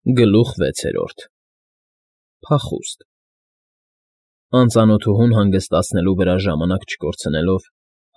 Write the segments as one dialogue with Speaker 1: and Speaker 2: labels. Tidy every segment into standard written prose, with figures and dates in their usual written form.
Speaker 1: Գլուխ 6 Փախուստ Անծանոթուհուն հանգստացնելու վրա ժամանակ չկորցնելով,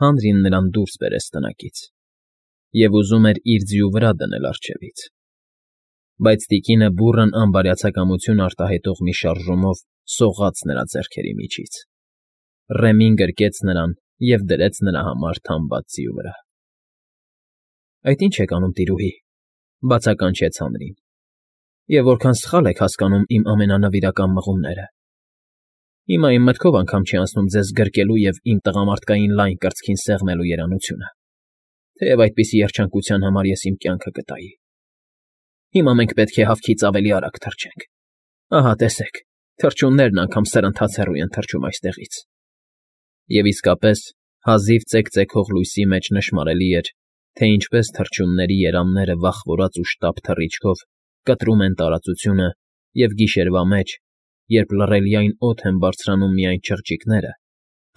Speaker 1: Հանրին նրան դուրս բերեց տնակից և ուզում էր իր ձիու վրա դնել առջևից, բայց տիկինը բուռն անբարյացակամություն արտահայտող մի շարժումով սողաց նրա ձեռքերի միջից, Ռեմին գրկեց նրան և դրեց նրա համար թամբած ձիու վրա։ ֊ Այդ ի՞նչ եք անում, տիրուհի,֊ բացականչեց Հանրին,֊ և որքան սխալ եք հասկանում իմ ամենանվիրական մղումները։ Հիմա իմ մտքով անգամ չի անցնում ձեզ գրկելու և իմ տղամարդկային լայն կրծքին սեղմելու երանությունը, թեև այդպիսի երջանկության համար ես իմ կյանքը կտայի։ Հիմա մենք պետք է հավքից ավելի արագ թռչենք։ Ահա, տեսեք, թռչուններն անգամ սրընթաց հեռու են թռչում այստեղից։ Եվ իսկապես հազիվ ծեքծեքող լույսի մեջ նշմարելի էր, թե ինչպես թռչունների երամները վախվորած ու շտապ թռիչքով կտրում են տարածությունը և գիշերվա մեջ, երբ լռելիայն օդ են բարձրանում միայն չղջիկները,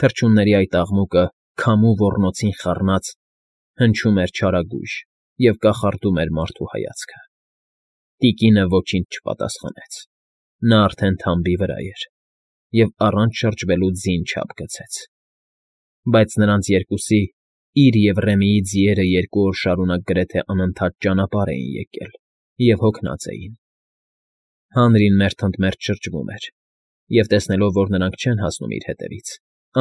Speaker 1: թռչունների այդ աղմուկը, քամու ոռնոցին խառնած, հնչում էր չարագույժ և կախարդում էր մարդու հայացքը։ Տիկինը ոչինչ չպատասխանեց։ Նա արդեն թամբի վրա էր և առանց շրջվելու ձին չափ գցեց։ Բայց նրանց երկուսի, իր և Ռեմիի ձիերը 2 օր շարունակ գրեթե անընդհատ ճանապարհ էին եկել և հոգնած էին։ Հանրին մերթընդմերթ շրջվում էր և, տեսնելով, որ նրանք չեն հասնում իր հետևից,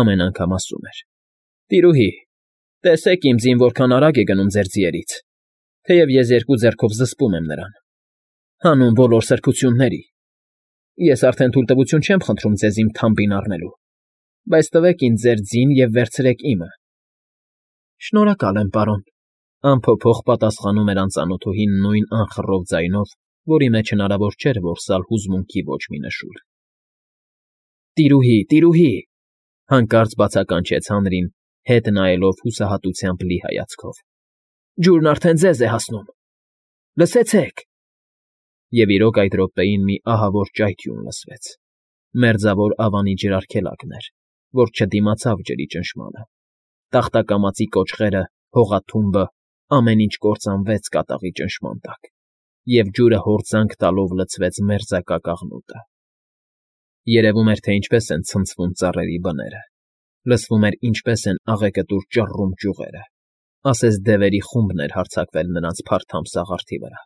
Speaker 1: ամեն անգամ ասում էր. «Տիրուհի, տեսեք իմ ձին որքան արագ է գնում ձեր ձիերից, թեև ես 2 ձեռքով զսպում եմ նրան։ Հանուն բոլոր սրբությունների… Ես արդեն թույլտվություն չեմ խնդրում ձեզ իմ թամբին առնելու, բայց տվեք ինձ ձեր ձին և վերցրեք իմը»։ «Շնորհակալ եմ, պարոն,֊ անփոփոխ պատասխանում էր անծանոթուհին նույն անխռով ձայնով, որի մեջ հնարավոր չէր որսալ հուզմունքի ոչ մի նշույլ։ «Տիրուհի, տիրուհի…֊ հանկարծ բացականչեց Հանրին, հետ նայելով հուսահատությամբ լի հայացքով,֊ ջուրն արդեն ձեզ է հասնում… Լսեցե՞ք»։ Եվ իրոք այդ րոպեին մի ահավոր ճայթյուն լսվեց։ Մերձավոր ավանի ջրարգելակն էր, որ չդիմացավ ջրի ճնշմանը։ Տախտակամածի կոճղերը, հողաթումբը, ամեն ինչ կործանվեց կատաղի ճնշման տակ, և ջուրը հորձանք տալով լցվեց մերձակա կաղնուտը։ Երևում էր, թե ինչպես են ցնցվում ծառերի բները, լսվում էր, ինչպես են աղեկտուր ճռռում ճյուղերը, ասես դևերի խումբն էր հարձակվել նրանց փարթամ սաղարթի վրա։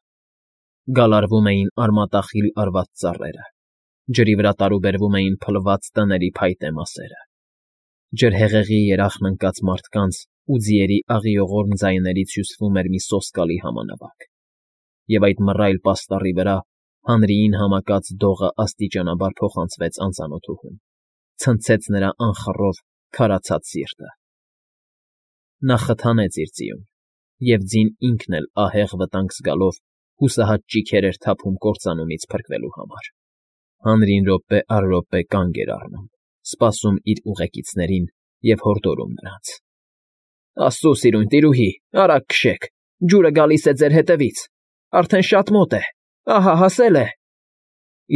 Speaker 1: Գալարվում էին արմատախիլ արված ծառերը, ջրի վրա տարուբերվում էին փլված տների փայտե մասերը։ Ջրհեղեղի երախն ընկած մարդկանց ու ձիերի աղիողորմ ձայներից հյուսվում էր մի սոսկալի համանվագ, և այդ մռայլ պաստառի վրա Հանրիին համակած դողը աստիճանաբար փոխանցվեց անծանոթուհուն, ցնցեց նրա անխռով քարացած սիրտը։ Նա խթանեց իր ձիուն, և ձին ինքն էլ ահեղ վտանգ զգալով հուսահատ ճիգեր էր թափում կործանումից փրկվելու համար։ Հանրին րոպե առ րոպե կանգ էր առնում, սպասում իր ուղեկիցներին և հորդորում նրանց. «Աստծո սիրուն տիրուհի, արագ քշեք, ջուրը գալիս է ձեր հետևից, արդեն շատ մոտ է, ահա հասել է»։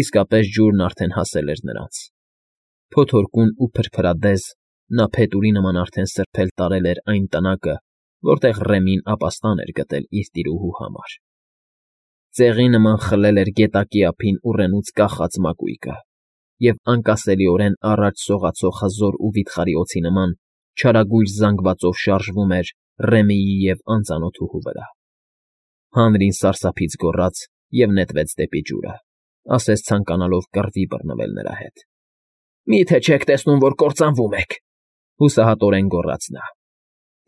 Speaker 1: Իսկապես ջուրն արդեն հասել էր նրանց։ Փոթորկուն ու փրփրադեզ, նա փետուրի նման արդեն սրբել տարել էր այն տնակը, որտեղ Ռեմին ապաստան էր գտել իր տիրուհու համար։ Ծեղի նման խլել էր գետակի ափին ուռենուց կախած մակույկը, և անկասելիորեն առաջ սողացող հզոր ու վիթխարի օձի նման չարագույժ զանգվածով շարժվում էր Ռեմիի և անծանոթուհու վրա։ Հանրին սարսափից գոռաց և նետվեց դեպի ջուրը, ասես ցանկանալով կռվի բռնվել նրա հետ։ «Մի՞թե չեք տեսնում, որ կործանվում եք,֊ հուսահատորեն գոռաց նա։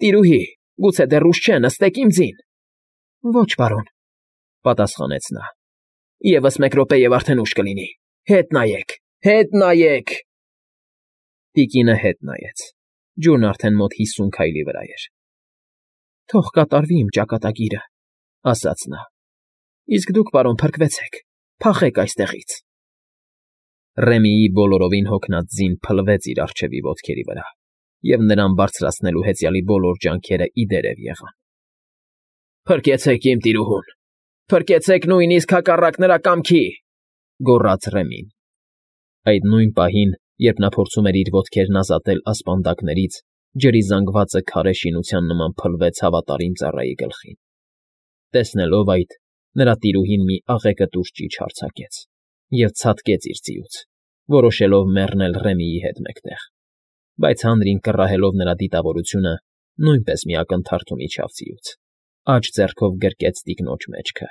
Speaker 1: Տիրուհի, գուցե դեռ ուշ չէ, նստեք իմ ձին»։ «Ոչ, պարոն,֊ պատասխանեց նա,֊ ևս 1 րոպե և արդեն ուշ կլինի… Հետ նայեք, հետ նայեք…»։ Տիկինը հետ նայեց։ Ջուրն արդեն մոտ 50 քայլի վրա էր։ «Թող կատարվի իմ ճակատագիրը,֊ ասաց նա,֊ իսկ դուք, պարոն, փրկվեցեք, փախեք այստեղից»։ Ռեմիի բոլորովին հոգնած ձին փլվեց իր առջևի ոտքերի վրա, և նրան բարձրացնելու հեծյալի բոլոր ջանքերը ի դերև եղան։ «Փրկեցեք իմ տիրուհուն, փրկեցեք նույնիսկ հակառակ նրա կամքի…»։ Գոռաց Ռեմին։ Այդ նույն պահին, երբ նա փորձում էր իր ոտքերն ազատել ասպանդակներից, ջրի զանգվածը քարե շինության նման փլվեց հավատարիմ ծառայի գլխին։ Տեսնելով այդ, նրա տիրուհին մի աղեկտուր ճիչ հարձակեց և ցատկեց իր ձիուց, որոշելով մեռնել Ռեմիի հետ մեկտեղ, բայց Հանրին կռահելով նրա դիտավորությունը, նույնպես մի ակնթարթում իջավ ձիուց, աջ ձեռքով գրկեց տիկնոջ մեջքը,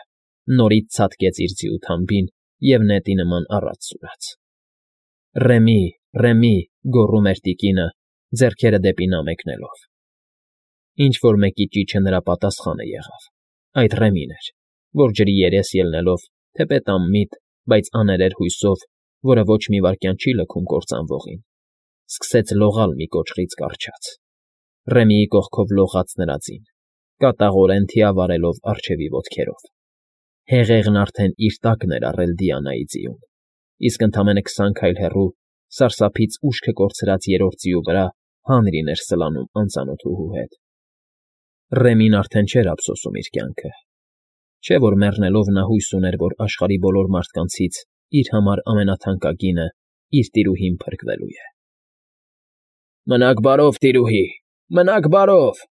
Speaker 1: նորից ցատկեց իր ձիու թամբին և նետի նման առաջ սուրաց։ «Ռեմի, Ռեմի», գոռում էր տիկինը, ձեռքերը դեպի նա մեկնելով։ Ինչ֊որ մեկի ճիչը նրա պատասխանը եղավ. այդ Ռեմին էր, որ ջրի երես ելնելով, թեպետ անմիտ, բայց աներեր հույսով, որը ոչ մի վայրկյան չի լքում կործանվողին, սկսեց լողալ մի կոճղից կառչած։ Ռեմիի կողքով լողաց նրա ձին, կատաղորեն թիավարելով առջևի ոտքերով։ Հեղեղն արդեն իր տակն էր առել Դիանայի ձիուն, իսկ ընդամենը 20 քայլ հեռու, սարսափից ուշքը կորցրած երրորդ ձիու վրա Հանրին էր սլանում անծանոթ հուհու հետ։ Ռեմին արդեն չէր ափսոսում իր կյանքը, չէ՞ որ մեռնելով նա հույս ուներ, որ աշխարհի բոլոր մարդկանցից իր համար ամենաթանկագինը իր տիրուհին փրկվելու է։ «Մնաք բարով, տիրուհի, մնաք բարով»,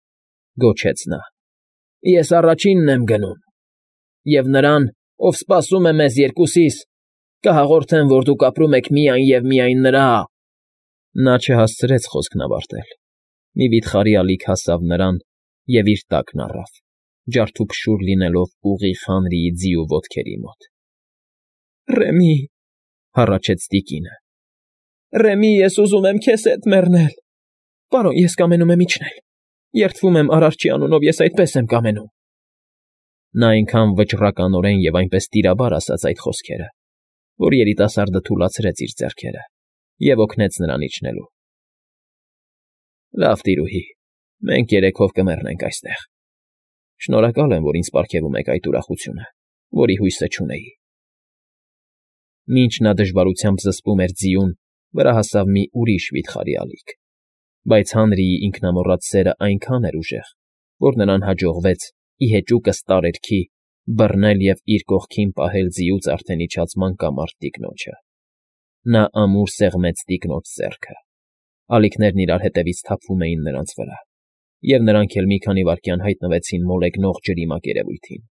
Speaker 1: գոչեց նա։ «Ես առաջինն եմ գնում, և նրան, ով սպասում է մեզ երկուսիս, կհաղորդեմ, որ դուք ապրում եք միայն և միայն նրա…»։ Նա չհասցրեց խոսքն ավարտել։ Մի վիթխարի ալիք հասավ նրան և իր տակն առավ, ջարդուփշուր լինելով ուղիղ Հանրիի ձիու ոտքերի մոտ։ «Ռեմի», հառաչեց տիկինը, «Ռեմի, ես ուզում եմ քեզ հետ մեռնել։ Պարոն, ես կամենում եմ իջնել։ Երդվում եմ Արարչի անունով, ես այդպես եմ կամենում»։ Նա այնքան վճռականորեն և այնպես տիրաբար ասաց այդ խոսքերը, որ երիտասարդը թուլացրեց իր ձեռքերը և օգնեց նրան իջնելու։ «Լավ, տիրուհի, մենք երեքով կմեռնենք այստեղ։ Շնորհակալ եմ, որ ինձ պարգևում եք այդ ուրախությունը, որի հույսը չունեի»։ Մինչ նա դժվարությամբ զսպում էր ձիուն, վրա հասավ մի ուրիշ վիթխարի ալիք, բայց Հանրիի ինքնամոռաց սերը այնքան էր ուժեղ, որ նրան հաջողվեց, ի հեճուկս տարերքի, բռնել և իր կողքին պահել ձիուց արդեն իջած մանկամարտ տիկնոջը։ Նա ամուր սեղմեց տիկնոջ ձեռքը, ալիքներն իրար հետևից թափվում էին նրանց վրա, և նրանք էլ մի քանի վայրկյան հայտնվեցին մոլեգնող ջրի մակերևույթին,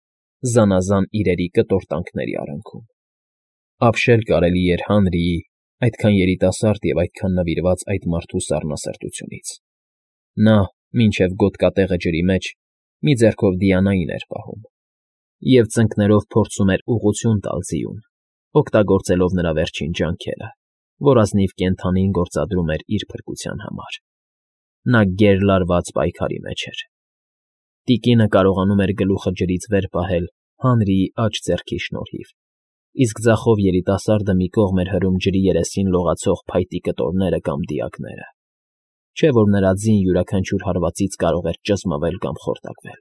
Speaker 1: զանազան իրերի կտորտանքների արանքում։ Ապշել կարելի էր Հանրիի, այդքան երիտասարդ և այդքան նվիրված այդ մարդու սառնասրտությունից։ Նա, մինչև գոտկատեղը ջրի մեջ, մի ձեռքով Դիանային էր պահում և ծնկներով փորձում էր ուղղություն տալ ձիուն, օգտագործելով նրա վերջին ջանքերը, որ ազնիվ կենդանին գործադրում էր իր փրկության համար։ Նա գերլարված պայքարի մեջ էր։ Տիկինը կարողանում էր գլուխը ջրից վեր պահել Հանրիի աջ ձեռքի շնորհիվ, իսկ ձախով երիտասարդը մի կողմ էր հրում ջրի երեսին լողացող փայտի կտորները կամ դիակները, չէ՞ որ նրա ձին յուրաքանչյուր հարվածից կարող էր ճզմվել կամ խորտակվել։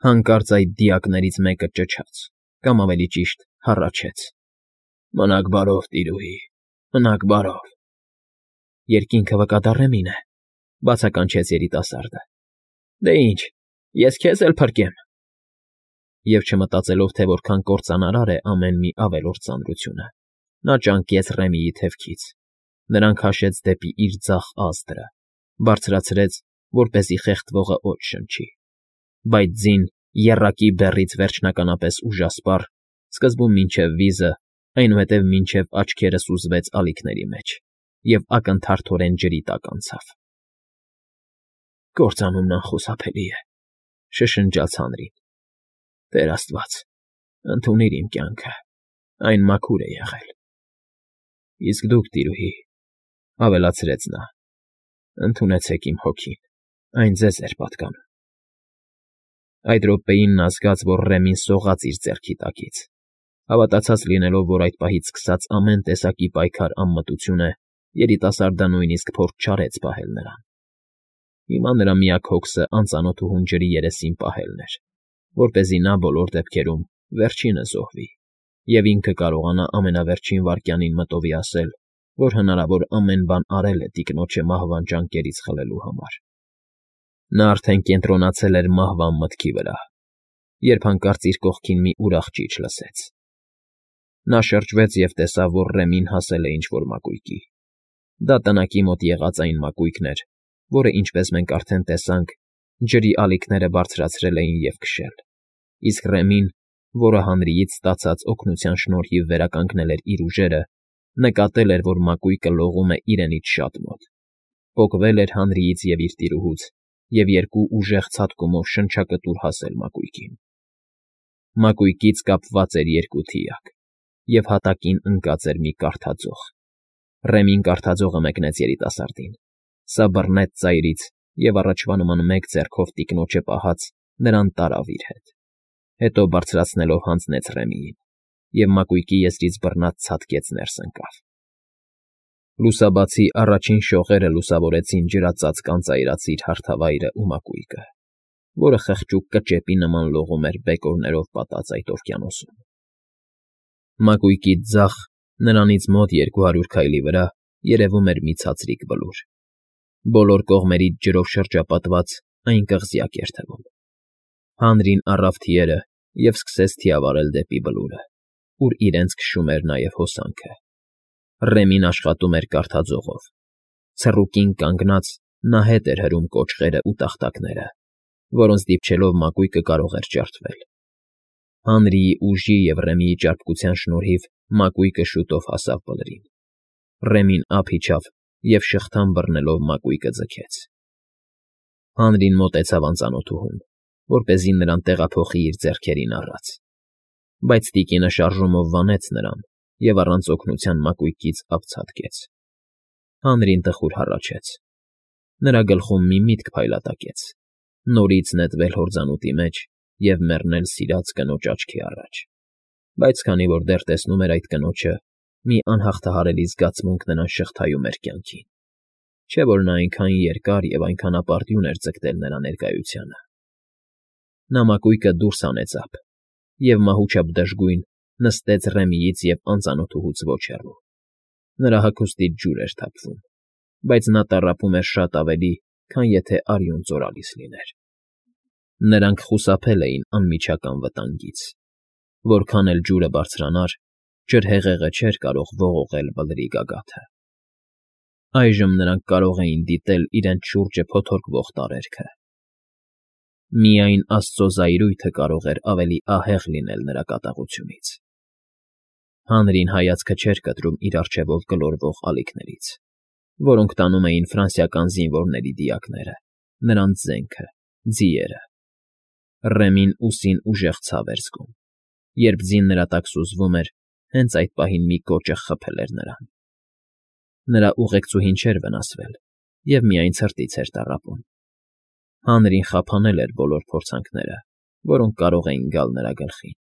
Speaker 1: Հանկարծ այդ դիակներից մեկը ճչաց, կամ ավելի ճիշտ հառաչեց. «Մնաք բարով, տիրուհի, մնաք բարով»։ «Երկինքը վկա Ռեմին է», բացականչեց երիտասարդը։ «Դե ինչ, ես քեզ էլ փրկեմ»։ Եվ չմտածելով, թե որքան կործանարար է ամեն մի ավելորդ ծանրությունը, նա ճանկեց Ռեմիի թևքից, նրան քաշեց դեպի իր ձախ ազդրը, բարձրացրեց, որպեսզի խեղդվողը օդ շնչի, բայց ձին, եռակի բեռից վերջնականապես ուժասպառ, սկզբում մինչև վիզը, այնուհետև մինչև աչքերը սուզվեց ալիքների մեջ և ակնթարթորեն ջրի տակ անցավ։ «Կործանումն անխուսափելի է», շշնջաց Հանրին։ «Տեր աստված, ընդունիր իմ կյանքը, այն մաքուր է եղել»։ «Իսկ դուք, տիրուհի», ավելացրեց նա, «ընդունեցեք իմ հոգին, այն ձեզ էր պատկանում»։ Այդ րոպեին նա զգաց, որ Ռեմին սողաց իր ձեռքի տակից, հավատացած լինելով, որ այդ պահից սկսած ամեն տեսակի պայքար անմտություն է, երիտասարդը նույնիսկ փորձ չարեց պահել նրան։ Հիմա նրա միակ հոգսը անծանոթուհուն ջրի երեսին պահելն էր, որպեսզի նա բոլոր դեպքերում վերջինը զոհվի, և ինքը կարողանա ամենավերջին վայրկյանին մտովի ասել, որ հնարավոր ամեն բան արել է տիկնոջը մահվան ճանկերից խլելու համար։ Նա արդեն կենտրոնացել էր մահվան մտքի վրա, երբ հանկարծ իր կողքին մի ուրախ ճիչ լսեց։ Նա շրջվեց և տեսավ, որ Ռեմին հասել է ինչ֊որ մակույկի։ Դա տնակի մոտ եղած այն մակույկն էր, որը, ինչպես մենք արդեն տեսանք, ջրի ալիքները բարձրացրել էին և քշել, իսկ Ռեմին, որը հանրիից ստացած օգնության շնորհիվ վերականգնել էր իր ուժերը, նկատել էր, որ մակույկը լողում է իրենից շատ մոտ, պոկվել էր հանրիից և իր տիրուհուց և երկու ուժեղ ցատկումով շնչակտուր հասել մակույկին։ Մակույկից կապված էր երկու թիակ, և հատակին ընկած էր մի կարթաձող։ Ռեմին կարթաձողը մեկնեց երիտասարդին, սա բռնեց ծայրից և առաջվա նման մեկ ձեռքով տիկնոջը պահած նրան տարավ իր հետ, հետո բարձրացնելով հանձնեց Ռեմիին, և մակույկի եզրից բռնած ցատկեց ներս ընկավ։ Լուսաբացի առաջին շողերը լուսավորեցին ջրածածկան ծայրածիր հարթավայրն ու մակույկը, որը խղճուկ կճեպի նման լողում էր բեկորներով պատած այդ օվկիանոսում։ Մակույկից ձախ, նրանից մոտ 200 քայլի վրա երևում էր մի ցածրիկ բլուր։ Բոլոր կողմերից ջրով շրջապատված այն կղզյակ էր թվում։ Հանրին առավ թիերը և սկսեց թիավարել դեպի բլուրը, ուր իրենց քշում էր նաև հոսանքը։ Ռեմին աշխատում էր կարթաձողով։ Ցռուկին կանգնած՝ նա հետ էր հրում կոճղերն ու տախտակները, որոնց դիպչելով մակույկը կարող էր ջարդվել։ Հանրիի ուժի և Ռեմիի ճարպկության շնորհիվ մակույկը շուտով հասավ բլրին։ Ռեմին ափ իջավ և շղթան բռնելով մակույկը ձգեց։ Հանրին մոտեցավ անծանոթուհուն, որպեսզի նրան տեղափոխի իր ձեռքերին առած, բայց տիկինը շարժումով վանեց նրան և առանց օգնության մակույկից ափ ցատկեց։ Հանրին տխուր հառաչեց։ Նրա գլխում մի միտք փայլատակեց՝ նորից նետվել հորձանուտի մեջ և մեռնել սիրած կնոջ աչքի առաջ, բայց քանի որ դեռ տեսնում էր այդ կնոջը, մի անհաղթահարելի զգացմունք նրան շղթայում էր կյանքին, չէ՞ որ նա այնքան երկար և այնքան ապարդյուն էր ձգտել նրա ներկայությանը։ Նա մակույկը դուրս հանեց ափ և մահուճապ դժգույն նստեց Ռեմիից և անծանոթուհուց ոչ հեռու։ Նրա հագուստից ջուր էր թափվում, բայց նա տառապում էր շատ ավելի, քան եթե արյուն ծորալիս լիներ։ Նրանք խուսափել էին անմիջական վտանգից։ Որքան էլ ջուրը բարձրանար, ջրհեղեղը չէր կարող ողողել բլրի գագաթը։ Այժմ նրանք կարող էին դիտել իրենց շուրջը փոթորկվող տարերքը։ Միայն աստծո զայրույթը կարող էր ավելի ահեղ լինել նրա կատաղությունից։ Հանրին հայացքը չէր կտրում իր առջևով գլորվող ալիքներից, որոնք տանում էին ֆրանսիական զինվորների դիակները, նրանց զենքը, ձիերը։ Ռեմին ուսին ուժեղ ցավ էր զգում։ Երբ ձին նրա տակ սուզվում էր, հենց այդ պահին մի կոճղ խփել էր նրան։ Նրա ուղեկցուհին չէր վնասվել և միայն ցրտից էր տառապում։ Հանրին խափանել էր բոլոր փորձանքները, որոնք կարող էին գալ նրա գլխին։